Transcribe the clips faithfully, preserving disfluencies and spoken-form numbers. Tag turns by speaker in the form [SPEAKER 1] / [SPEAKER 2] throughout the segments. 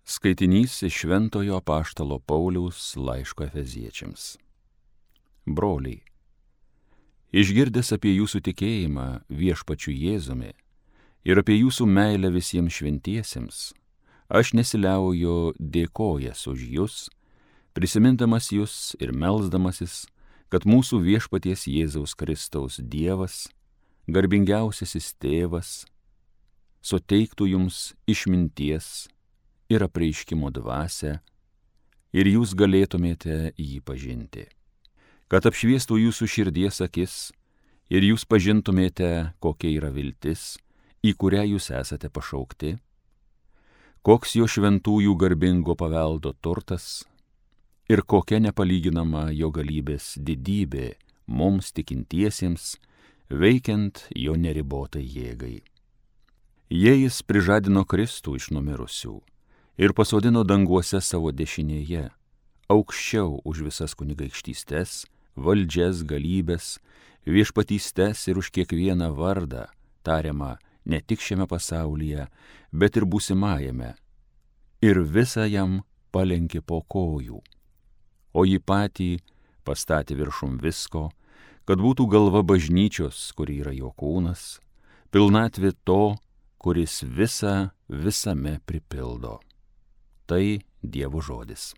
[SPEAKER 1] Skaitinys iš Šventojo apaštalo Pauliaus laiško Efeziečiams. Broliai, išgirdęs apie jūsų tikėjimą viešpačiu Jėzumi ir apie jūsų meilę visiems šventiesiems, aš nesiliauju dėkojęs už jus, prisimindamas jus ir melsdamasis, kad mūsų viešpaties Jėzaus Kristaus Dievas, garbingiausiasis Tėvas, suteiktų jums išminties ir apreiškimo dvasią, ir jūs galėtumėte jį pažinti, kad apšviestų jūsų širdies akis ir jūs pažintumėte, kokia yra viltis, į kurią jūs esate pašaukti, koks jo šventųjų garbingo paveldo turtas ir kokia nepalyginama jo galybės didybė mums tikintiesiems, veikiant jo neribotai jėgai. Jei jis prižadino Kristų iš numirusių ir pasodino danguose savo dešinėje, aukščiau už visas kunigaikštystes, valdžias, galybės, viešpatystes ir už kiekvieną vardą, tariamą ne tik šiame pasaulyje, bet ir būsimajame, ir visą jam palenkė po kojų, o jį patį pastatė viršum visko, kad būtų galva bažnyčios, kuri yra jo kūnas, pilnatvė to, kuris visą visame pripildo. Tai Dievo žodis.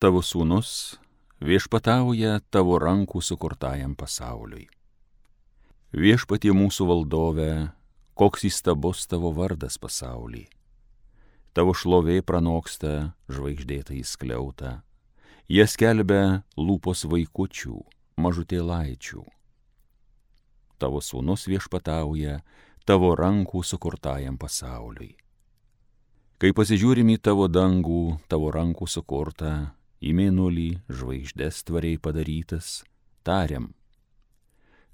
[SPEAKER 1] Tavo sūnus viešpatauja tavo rankų sukurtajam pasauliui. Viešpatie mūsų valdove, koks įstabus tavo vardas pasaulį. Tavo šlovė pranoksta žvaigždėtą įskliautą. Jie skelbia lūpos vaikučių, mažutėlaičių. Tavo sūnus viešpatauja tavo rankų sukurtajam pasauliui. Kai pasižiūrim į tavo dangų, tavo rankų sukurtą, į mėnulį, žvaigždes tvariai padarytas, tariam,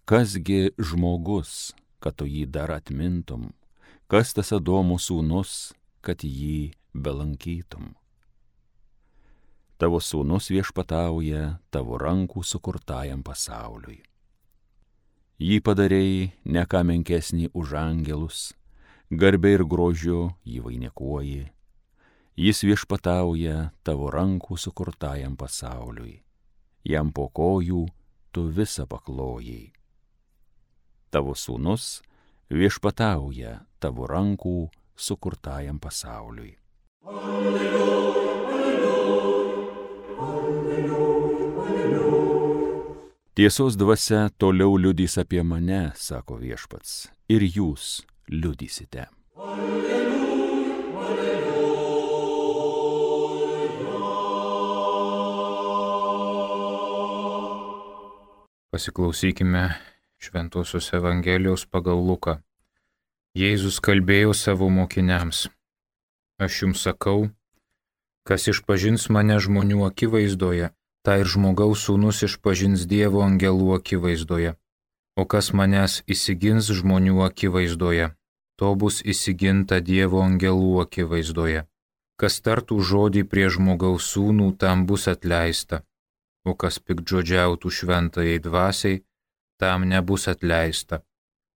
[SPEAKER 1] kasgi žmogus, kad tu jį dar atmintum, kas tas Adomo sūnus, kad jį belankytum. Tavo sūnus viešpatauja tavo rankų sukurtajam pasauliui. Jį padarei ne ką menkesnį už angelus, garbė ir grožiu jį vainikuoji. Jis viešpatauja tavo rankų sukurtajam pasauliui. Jam po kojų tu visą paklojai. Tavo sūnus viešpatauja tavo rankų sukurtajam pasauliui. Alleluja, alleluja, alleluja, alleluja. Tiesos dvasia toliau liudys apie mane, sako viešpats, ir jūs liudysite. Alleluja, alleluja.
[SPEAKER 2] Pasiklausykime Šventosios Evangelijos pagal Luką. Jėzus kalbėjo savo mokiniams. Aš jums sakau, kas išpažins mane žmonių akivaizdoje, tai ir žmogaus sūnus išpažins Dievo angelų akivaizdoje. O kas manęs įsigins žmonių akivaizdoje, to bus įsiginta Dievo angelų akivaizdoje. Kas tartų žodį prie žmogaus sūnų, tam bus atleista. O kas piktžodžiautų šventajai dvasiai, tam nebus atleista.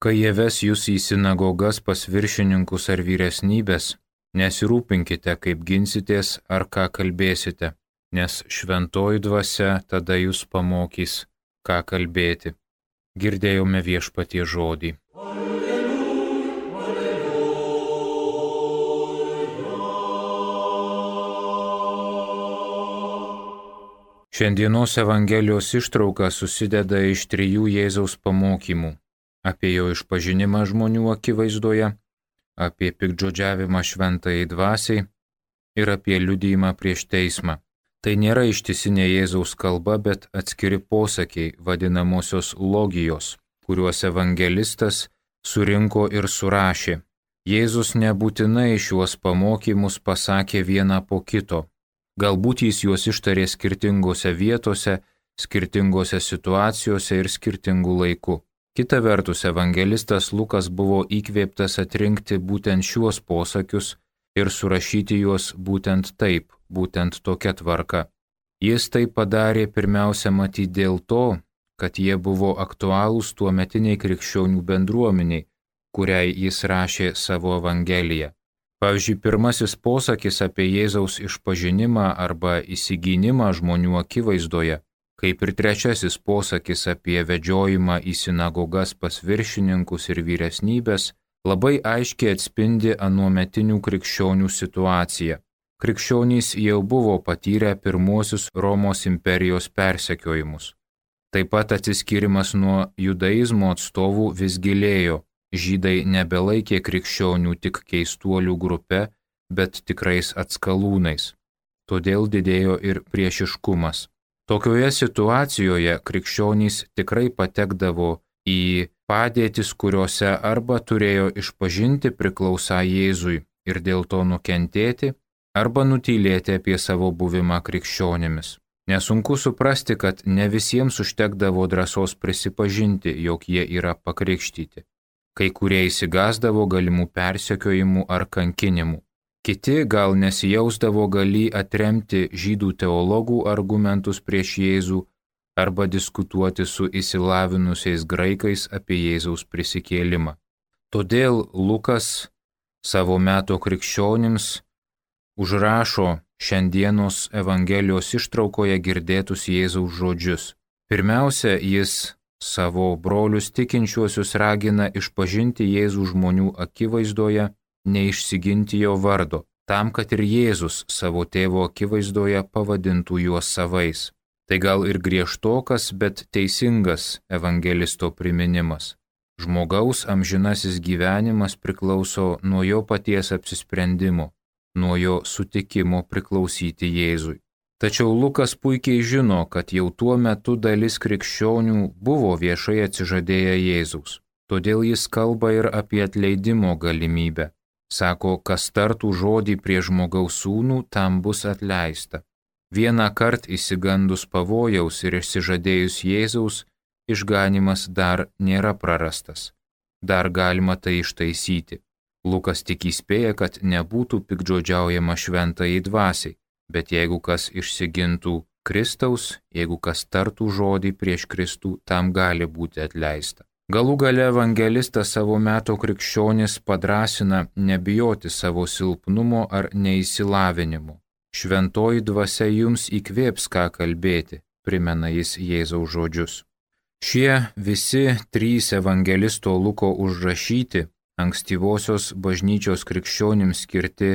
[SPEAKER 2] Kai jie ves jūs į sinagogas pas viršininkus ar vyresnybės, nesirūpinkite, kaip ginsitės ar ką kalbėsite, nes šventoji dvasia tada jūs pamokys, ką kalbėti. Girdėjome Viešpaties žodį. Šiandienos Evangelijos ištrauka susideda iš trijų Jėzaus pamokymų – apie jo išpažinimą žmonių akivaizdoje, apie piktžodžiavimą šventajai dvasiai ir apie liudijimą prieš teismą. Tai nėra ištisinė Jėzaus kalba, bet atskiri posakiai vadinamosios logijos, kuriuos evangelistas surinko ir surašė. Jėzus nebūtinai šiuos pamokymus pasakė vieną po kito. Galbūt jis juos ištarė skirtingose vietose, skirtingose situacijose ir skirtingų laikų. Kita vertus, evangelistas Lukas buvo įkvėptas atrinkti būtent šiuos posakius ir surašyti juos būtent taip, būtent tokia tvarka. Jis tai padarė pirmiausia matyti dėl to, kad jie buvo aktualūs tuometiniai krikščionių bendruomeniai, kuriai jis rašė savo evangeliją. Pavyzdžiui, pirmasis posakis apie Jėzaus išpažinimą arba įsigynimą žmonių akivaizdoje, kaip ir trečiasis posakis apie vedžiojimą į sinagogas pas viršininkus ir vyresnybės, labai aiškiai atspindi anuometinių krikščionių situaciją. Krikščionys jau buvo patyrę pirmuosius Romos imperijos persekiojimus. Taip pat atsiskyrimas nuo judaizmo atstovų vis gilėjo. Žydai nebelaikė krikščionių tik keistuolių grupe, bet tikrais atskalūnais. Todėl didėjo ir priešiškumas. Tokioje situacijoje krikščionys tikrai patekdavo į padėtis, kuriuose arba turėjo išpažinti priklausą Jėzui ir dėl to nukentėti, arba nutylėti apie savo buvimą krikščionimis. Nesunku suprasti, kad ne visiems užtekdavo drąsos prisipažinti, jog jie yra pakrikštyti. Kai kurie įsigasdavo galimų persekiojimų ar kankinimų. Kiti gal nesijausdavo galį atremti žydų teologų argumentus prieš Jėzų arba diskutuoti su išsilavinusiais graikais apie Jėzaus prisikėlimą. Todėl Lukas savo meto krikščionims užrašo šiandienos Evangelijos ištraukoje girdėtus Jėzaus žodžius. Pirmiausia, jis savo brolius tikinčiuosius ragina išpažinti Jėzų žmonių akivaizdoje, neišsiginti jo vardo, tam, kad ir Jėzus savo tėvo akivaizdoje pavadintų juos savais. Tai gal ir griežtokas, bet teisingas evangelisto priminimas. Žmogaus amžinasis gyvenimas priklauso nuo jo paties apsisprendimo, nuo jo sutikimo priklausyti Jėzui. Tačiau Lukas puikiai žino, kad jau tuo metu dalis krikščionių buvo viešai atsižadėję Jėzaus. Todėl jis kalba ir apie atleidimo galimybę. Sako, kas tartų žodį prie žmogaus sūnų, tam bus atleista. Vieną kartą įsigandus pavojaus ir išsižadėjus Jėzaus, išganimas dar nėra prarastas. Dar galima tai ištaisyti. Lukas tik įspėja, kad nebūtų piktžodžiaujama šventajai dvasiai. Bet jeigu kas išsigintų Kristaus, jeigu kas tartų žodį prieš Kristų, tam gali būti atleista. Galų gale evangelistas savo meto krikščionis padrasina nebijoti savo silpnumo ar neįsilavinimo. Šventoji dvasia jums įkvėps ką kalbėti, primena jis Jėzaus žodžius. Šie visi trys evangelisto Luko užrašyti, ankstyvosios bažnyčios krikščionims skirti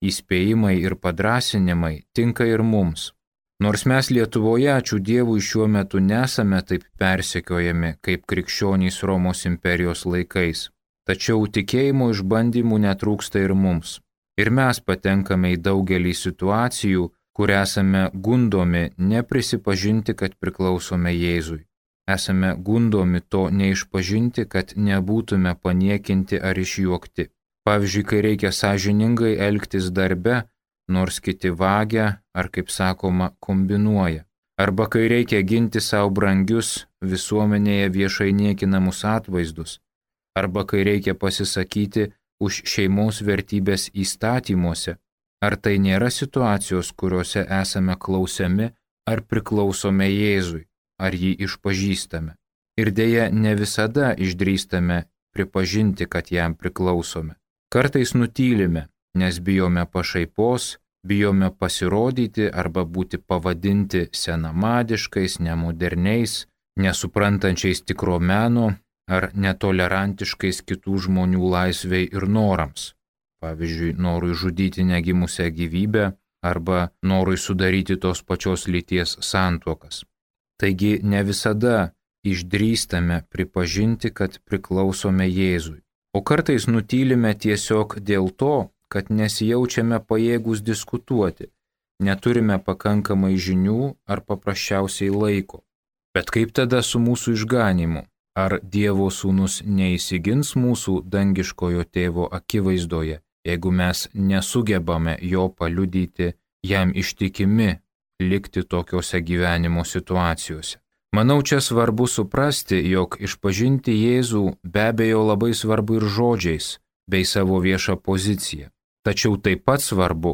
[SPEAKER 2] įspėjimai ir padrasinimai tinka ir mums. Nors mes Lietuvoje, ačiū Dievui, šiuo metu nesame taip persekiojami kaip krikščionys Romos imperijos laikais, tačiau tikėjimo išbandymų netrūksta ir mums. Ir mes patenkame į daugelį situacijų, kur esame gundomi neprisipažinti, kad priklausome Jėzui. Esame gundomi to neišpažinti, kad nebūtume paniekinti ar išjuokti. Pavyzdžiui, kai reikia sąžiningai elgtis darbe, nors kiti vagia ar, kaip sakoma, kombinuoja. Arba kai reikia ginti savo brangius visuomenėje viešai niekinamus atvaizdus. Arba kai reikia pasisakyti už šeimos vertybės įstatymuose. Ar tai nėra situacijos, kuriuose esame klausiami ar priklausome Jėzui, ar jį išpažįstame. Ir dėja ne visada išdrįstame pripažinti, kad jam priklausome. Kartais nutylime, nes bijome pašaipos, bijome pasirodyti arba būti pavadinti senamadiškais, nemoderniais, nesuprantančiais tikro meno ar netolerantiškais kitų žmonių laisvei ir norams. Pavyzdžiui, norui žudyti negimusią gyvybę arba norui sudaryti tos pačios lyties santuokas. Taigi ne visada išdrįstame pripažinti, kad priklausome Jėzui. O kartais nutylime tiesiog dėl to, kad nesijaučiame pajėgus diskutuoti, neturime pakankamai žinių ar paprasčiausiai laiko. Bet kaip tada su mūsų išganymu? Ar Dievo sūnus neįsigins mūsų dangiškojo tėvo akivaizdoje, jeigu mes nesugebame jo paliudyti, jam ištikimi likti tokiose gyvenimo situacijose? Manau, čia svarbu suprasti, jog išpažinti Jėzų be abejo labai svarbu ir žodžiais, bei savo viešą poziciją. Tačiau taip pat svarbu,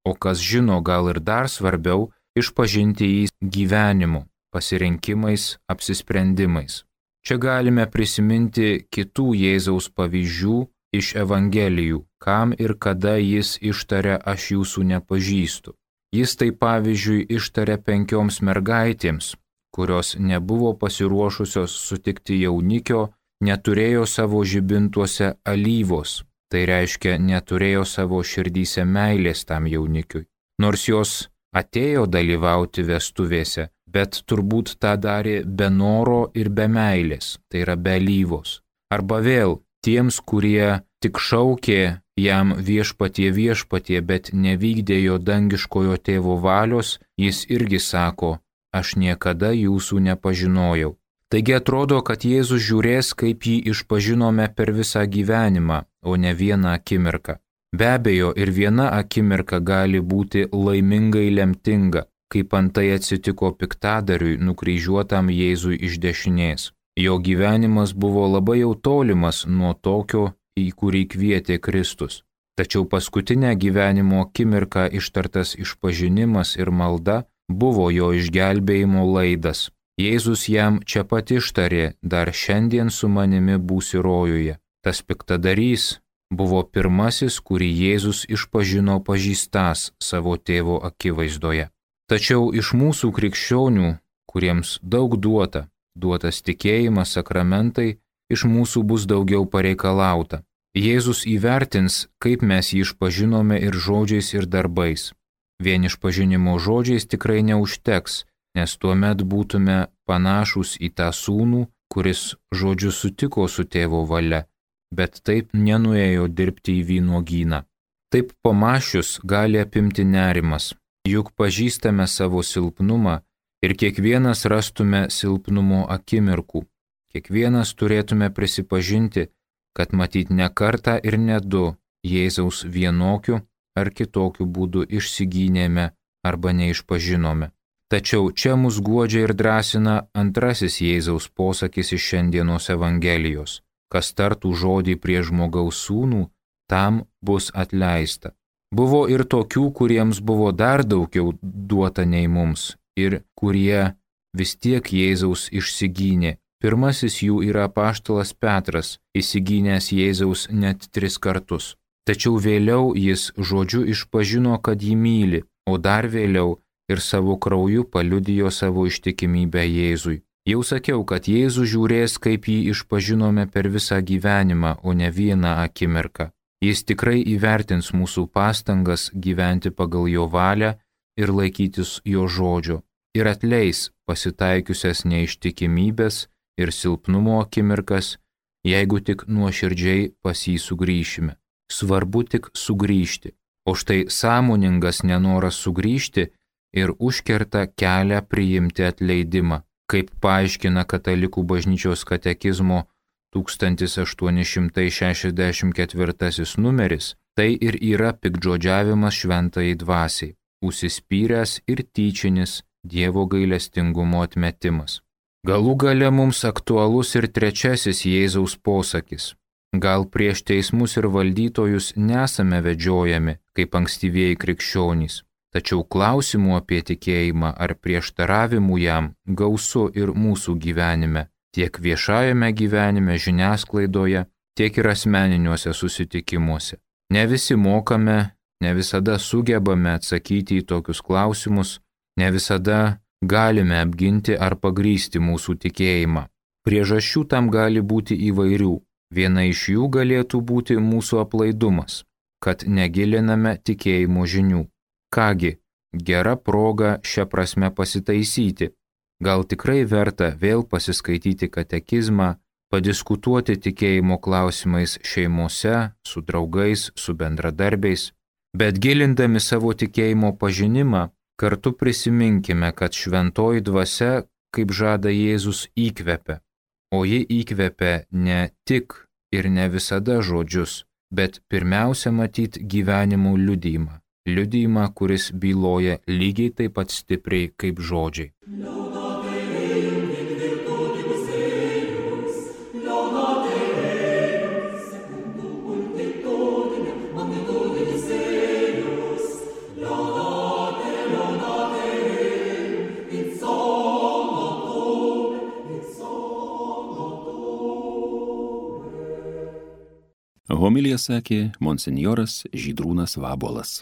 [SPEAKER 2] o kas žino gal ir dar svarbiau, išpažinti jį gyvenimu, pasirinkimais, apsisprendimais. Čia galime prisiminti kitų Jėzaus pavyzdžių iš Evangelijų, kam ir kada jis ištaria aš jūsų nepažįstu. Jis tai pavyzdžiui ištaria penkioms mergaitėms, kurios nebuvo pasiruošusios sutikti jaunikio, neturėjo savo žibintuose alyvos, tai reiškia neturėjo savo širdyse meilės tam jaunikiui. Nors jos atėjo dalyvauti vestuvėse, bet turbūt tą darė be noro ir be meilės, tai yra be alyvos. Arba vėl tiems, kurie tik šaukė jam viešpatie viešpatie, bet nevykdė jo dangiškojo tėvo valios, jis irgi sako, aš niekada jūsų nepažinojau. Taigi atrodo, kad Jėzus žiūrės, kaip jį išpažinome per visą gyvenimą, o ne vieną akimirką. Be abejo, ir viena akimirka gali būti laimingai lemtinga, kaip antai atsitiko piktadariui nukryžiuotam Jėzui iš dešinės. Jo gyvenimas buvo labai jau tolimas nuo tokio, į kurį kvietė Kristus. Tačiau paskutinę gyvenimo akimirką ištartas išpažinimas ir malda buvo jo išgelbėjimo laidas. Jėzus jam čia pat ištarė, dar šiandien su manimi būsi rojuje. Tas piktadarys buvo pirmasis, kurį Jėzus išpažino pažįstas savo tėvo akivaizdoje. Tačiau iš mūsų krikščionių, kuriems daug duota, duotas tikėjimas, sakramentai, iš mūsų bus daugiau pareikalauta. Jėzus įvertins, kaip mes jį išpažinome ir žodžiais, ir darbais. Vien išpažinimo žodžiais tikrai neužteks, nes tuomet būtume panašūs į tą sūnų, kuris žodžiu sutiko su tėvo valia, bet taip nenuėjo dirbti į vynuogyną. Taip pamašius gali apimti nerimas, juk pažįstame savo silpnumą ir kiekvienas rastume silpnumo akimirkų. Kiekvienas turėtume prisipažinti, kad matyt ne kartą ir ne du Jėzaus vienokiu ar kitokiu būdu išsigynėme arba neišpažinome. Tačiau čia mus guodžia ir drąsina antrasis Jėzaus posakis iš šiandienos Evangelijos. Kas tartų žodį prie žmogaus sūnų, tam bus atleista. Buvo ir tokių, kuriems buvo dar daugiau duota nei mums ir kurie vis tiek Jėzaus išsigynė. Pirmasis jų yra apaštalas Petras, įsigynęs Jėzaus net tris kartus. Tačiau vėliau jis žodžiu išpažino, kad jį myli, o dar vėliau ir savo krauju paliudijo savo ištikimybę Jėzui. Jau sakiau, kad Jėzus žiūrės, kaip jį išpažinome per visą gyvenimą, o ne vieną akimirką. Jis tikrai įvertins mūsų pastangas gyventi pagal jo valią ir laikytis jo žodžio, ir atleis pasitaikiusias neištikimybės ir silpnumo akimirkas, jeigu tik nuoširdžiai pas jį sugrįšime. Svarbu tik sugrįžti, o štai sąmoningas nenoras sugrįžti ir užkerta kelią priimti atleidimą, kaip paaiškina Katalikų bažnyčios katekizmo tūkstantis aštuoni šimtai šešiasdešimt ketvirtasis numeris, tai ir yra piktžodžiavimas šventajai dvasiai, užsispyręs ir tyčinis Dievo gailestingumo atmetimas. Galų gale mums aktualus ir trečiasis Jėzaus posakis. Gal prieš teismus ir valdytojus nesame vedžiojami, kaip ankstyvieji krikščionys, tačiau klausimų apie tikėjimą ar prieštaravimų jam gausu ir mūsų gyvenime, tiek viešajame gyvenime, žiniasklaidoje, tiek ir asmeniniuose susitikimuose. Ne visi mokame, ne visada sugebame atsakyti į tokius klausimus, ne visada galime apginti ar pagrįsti mūsų tikėjimą. Priežasčių tam gali būti įvairių. Viena iš jų galėtų būti mūsų aplaidumas, kad negiliname tikėjimo žinių. Kągi, gera proga šią prasme pasitaisyti. Gal tikrai verta vėl pasiskaityti katekizmą, padiskutuoti tikėjimo klausimais šeimose, su draugais, su bendradarbiais, bet gilindami savo tikėjimo pažinimą, kartu prisiminkime, kad šventoji dvasia, kaip žada Jėzus, įkvepia. O ji įkvepia ne tik ir ne visada žodžius, bet pirmiausia matyt gyvenimo liudijimą. Liudijimą, kuris byloja lygiai taip pat stipriai kaip žodžiai.
[SPEAKER 1] Homiliją sakė monsinjoras Žydrūnas Vabuolas.